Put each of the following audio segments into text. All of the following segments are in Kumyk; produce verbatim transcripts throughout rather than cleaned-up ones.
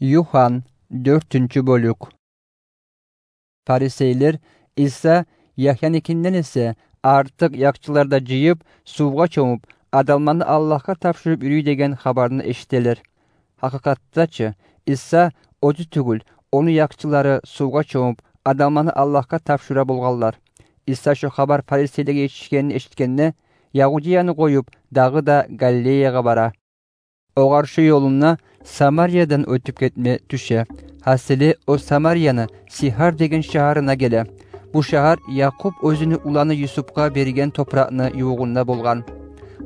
Юхан, дёртюнчю бёлюк. Фарисейлер Иса Яхьяникинден эсе артыкъ якъчылар да жыйып, сувгъа чомуп, адамланы Аллагьгъа тапшурып юрюй деген хабарны эшителер. Гьакъыкъатда чы, Иса оьзю тюгюл, ону якъчылары сувгъа чомуп, адамланы Аллагьгъа тапшура болгъанлар. Иса шо хабар фарисейлеге етишгенин эшитгенде, Ягьудияны къоюп, дагъы да Галилеягъа бара. Огъар шо ёлунда Самариядан оьтюп гетме тюше. Гьасили, о Самарияны Сихар деген шагьарына геле. Бу шагьар Якъуб оьзюню уланы Юсупгъа берген топуракъны ювугъунда болгъан.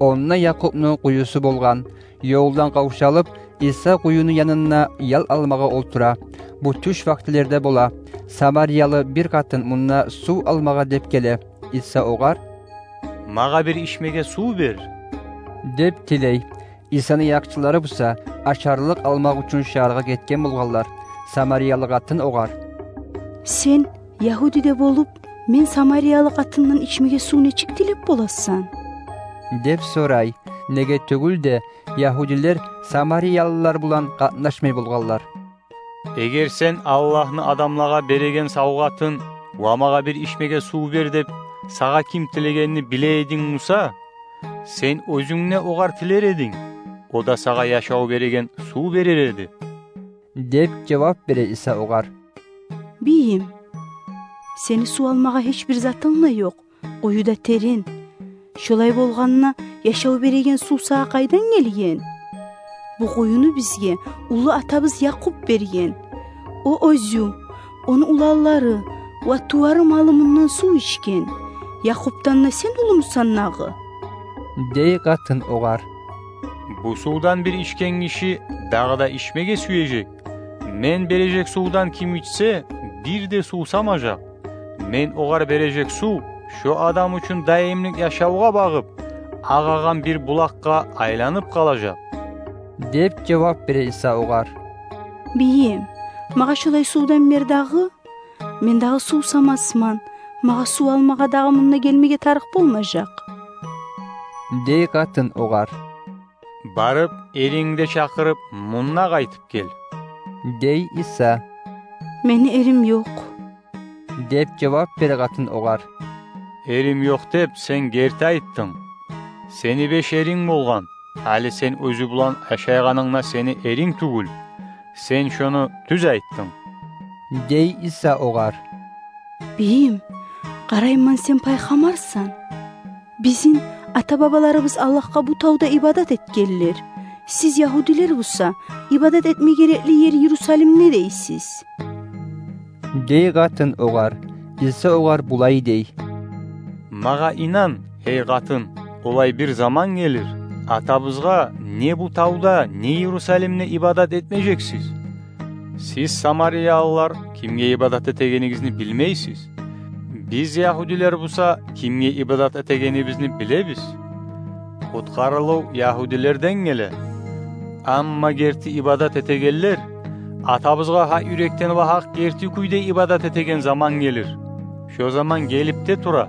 Онда Якъубну къуюсу болгъан. Ёлдан къавшалып, Иса къуюну янында ял алмагъа олтура. Бу тюш вакътилерде бола. Самариялы бир къатын мунда сув алмагъа деп геле. Иса огъар: «Магъа бир ичмеге сув бер», — деп тилей. Исаны якъчылары буса ашарлыкъ алмакъ учун шагьаргъа гетген болгъанлар. Самариялы къатын огъар: «Сен ягьуди де болуп, мен самариялы къатындан ичмеге сув нечик тилеп боласан?» — деп сорай. Неге тюгюл де, ягьудилер самариялылар булан къатнашмай болгъанлар. «Эгер сен Аллагьны адамлагъа береген савгъатын ва магъа бир ичмеге сув бер деп сагъа ким тилегенни биле эдинг буса, сен оьзюнг де огъар тилер эдинг, о да сагъа яшав береген сув берер эди», — деп жавап бере Иса огъар. «Бийим, сени сув алмагъа гьеч бир затынг да ёкъ, къую да терен. Шолай болгъанда, яшав береген сув сагъа къайдан гелген? Бу къуюну бизге уллу атабыз Якъуб берген. О оьзю, ону уланлары ва тувары-малы мундан сув ичген. Якъубдан да сен уллумусан дагъы?» — дей къатын огъар. «Бу сувдан бир ичген гиши дагъы да ичмеге сюежек. Мен бережек сувдан ким ичсе, бир де сувсамажакъ. Мен огъар бережек сув шо адам учун даимлик яшавгъа багъып агъагъан бир булакъгъа айланып къалажакъ», — деп жавап бере Иса огъар. «Бийим, магъа шолай сувдан бер дагъы. Мен дагъы сувсамасман, магъа сув алмагъа дагъы мунда гелмеге тарыкъ болмажакъ», — дей къатын огъар. «Барып, эрингни де чакъырып, мунда къайтып гел», — дей Иса. «Мени эрим ёкъ», — деп жавап бере къатын огъар. «Эрим ёкъ деп сен герти айтдынг. Сени беш эринг болгъан. Гьали сен оьзю булан яшайгъанынгда сени эринг тюгюл. Сен шону тюз айтдынг», — дей Иса огъар. «Бийим, къарайман, сен пайхаммарсан. Бизин ата-бабаларыбыз Аллагьгъа бу тавда ибадат этгенлер. Сиз, ягьудилер буса, ибадат этме герекли ер Иерусалимде дейсиз», — дей къатын огъар. Иса огъар булай дей: «Магъа инан, гьей къатын, олай бир заман гелир, атабызгъа не бу тавда, не Иерусалимде ибадат этмежексиз. Сиз, самариялылар, кимге ибадат этегенигизни билмейсиз. Биз, ягьудилер буса, кимге ибадат этегенибизни билебиз. Къутгъарылыв ягьудилерден геле. Амма герти ибадат этегенлер атабызгъа гьакъ юрекден ва гьакъ герти кюйде ибадат этеген заман гелир. Шо заман гелип де тура.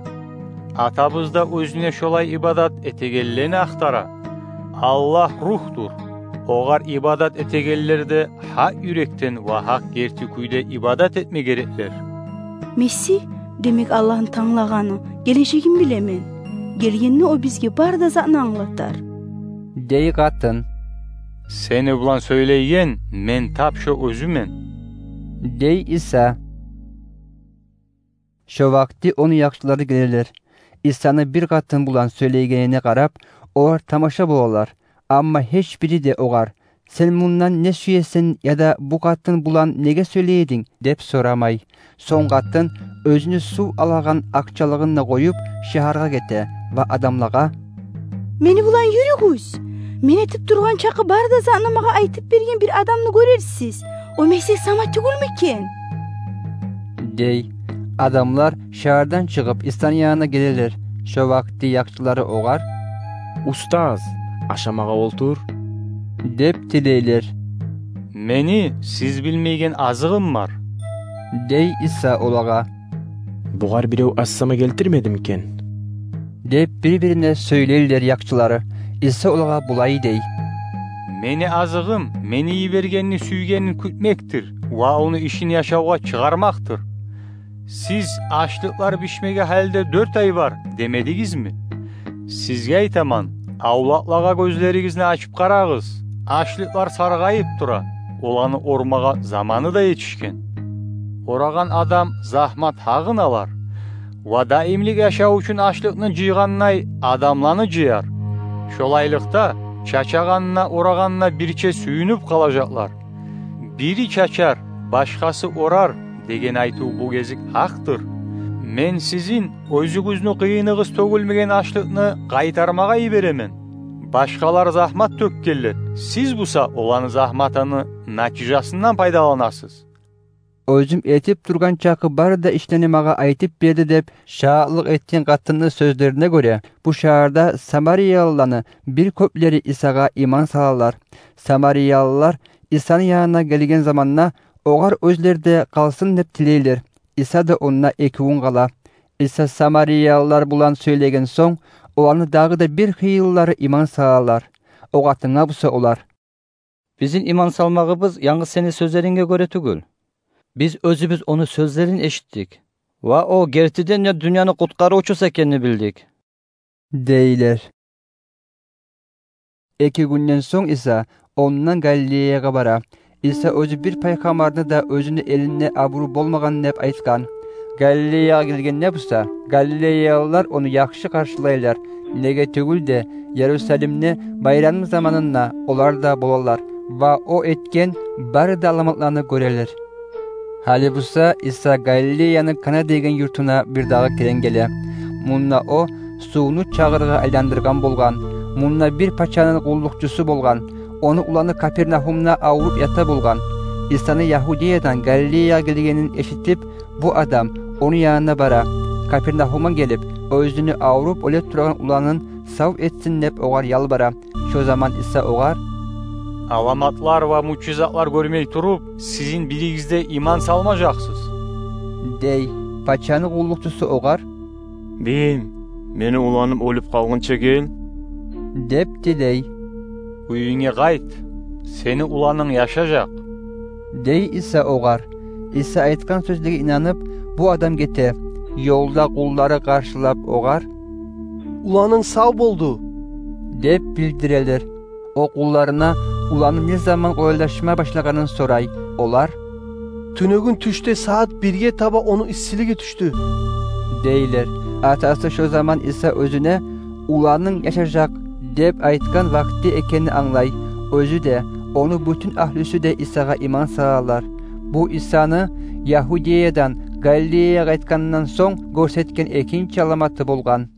Атабыз да оьзюне шолай ибадат этегенлени ахтара. Аллагь рухдур. Огъар ибадат этегенлер де гьакъ юрекден ва гьакъ герти кюйде ибадат этме гереклер». «Месигь, демек, Аллагьны танглагъаны, гележегин билемен. Гелгенде о бизге бары да затны англатар», — дей къатын. «Сени булан сёйлейген мен тап шо оьзюмен», — дей Иса. Шо вакъти ону якъчылары гелелер. Исаны бир къатын булан сёйлейгенине къарап, олар тамаша болалар. Амма гьеч бири де огъар: «Сен мундан не сюесен яда бу къатын булан неге сёйлей эдинг?» — деп сорамай. Сонг къатын оьзюню сув алагъан акъчалыгъын да къоюп, шагьаргъа гете ва адамлагъа: «Мени булан юрюгюз. Мен этип тургъан чакъы бары да затны магъа айтып берген бир адамны гёрерсиз. О Месигь сама тюгюлмю экен?» — дей. Адамлар шагьардан чыгъып, Исаны янына гелелер. Шо вакъти якъчылары огъар: «Устаз, ашамагъа олтур», — деп тилейлер. «Мени сиз билмейген азыгъым бар», — дей Иса олагъа. «Бугъар бирев ас-сама гелтирмедими экен?» — деп бир-бирине сёйлейлер якъчылары. Иса олагъа булай дей: Мени азыгъым Мени йибергенни сюйгенин кютмекдир ва ону ишин яшавгъа чыгъармакъдыр. Сиз: «Ашлыкълар бишмеге гьали де дёрт ай бар», — демедигизми? Сизге айтаман: авлакълагъа гёзлеригизни ачып къарагъыз. Ашлыкълар саргъайып тура, оланы ормагъа заманы да етишген. Орагъан адам загьмат гьакъын алар. Ва даимлик яшав учун ашлыкъны жыйгъандай адамланы жыяр. Шолайлыкъда, чачагъанына, орагъанына бирче сююнюп къалажакълар. «Бири чачар, башгъасы орар» деген айтыв бу гезик гьакъдыр. Мен сизин оьзюгюзню къыйыныгъыз тёгюлмеген ашлыкъны къайтармагъа йиберемен. Башгъалар загьмат тёкгенлер, сиз буса оланы загьматыны натижасындан пайдаланасыз. «Оьзюм этип тургъан чакъы бары да ишлени магъа айтып берди», — деп шагьатлыкъ этген къатынны сёзлерине гёре, бу шагьарда самариялыланы бир кёплери Исагъа иман салалар. Самариялылар Исаны янына гелген заманда, огъар оьзлер де къалсын деп тилейлер. Иса да онда эки гюн къала. Иса самариялылар булан сёйлеген сонг, оланы дагъы да бир хыйыллары иман салалар. О къатынгъа буса олар: «Бизин иман салмагъыбыз янгыз сени сёзлеринге гёре тюгюл. Биз оьзюбюз ону сёзлерин эшитдик ва о гертиден де дюньяны къутгъарывчусу экенни билдик», — дейлер. Эки гюнден сонг Иса ондан Галилеягъа бара. Иса оьзю бир пайхаммарны да оьзюню элинде абуру болмагъан деп айтгъан. Галилеягъа гелгенде буса, галилеялылар ону яхшы къаршылайлар. Неге тюгюл де, Ярусалимде байрам заманында олар да болалар ва о этген бары да аламатланы гёрелер. Гьали буса Иса Галилеяны Кана деген юртуна бирдагъы керен геле. Мунда о сувну чагъыргъа айландыргъан болгъан. Мунда бир пачаны къуллукъчусу болгъан. Ону уланы Капернагьумда авруп ята болгъан. Исаны Ягьудеядан Галилеягъа гелгенин эшитип, бу адам ону янына бара. Капернагьумгъа гелип, оьзюню авруп оьле турагъан уланын сав этсин деп огъар ялбара. Шо заман Иса огъар: «Аламатлар ва муъжизатлар гёрмей туруп, сизин биригиз де иман салмажакъсыз», — дей. Пачаны къуллукъчусу огъар: «Бийим, мени уланым оьлюп къалгъынча гел», — деп тилей. «Уьюнге къайт, сени уланынг яшажакъ», — дей Иса огъар. Иса айтгъан сёзлеге инанып, бу адам гете. Ёлда къуллары къаршылап огъар: «Уланынг сав болду», — деп билдирелер. О къулларына уланы не заман къолайлашма башлагъанын сорай. Олар: «Тюнегюн тюшде сагьат бирге таба ону иссилиги тюшдю», — дейлер. Атасы шо заман Иса оьзюне «уланынг яшажакъ» деп айтгъан вакъти экенни англай. Оьзю де, ону бютюн агьлюсю де Исагъа иман салалар. Бу Исаны Ягьудеядан Галилеягъа къайтгъанындан сонг гёрсетген экинчи аламаты болгъан.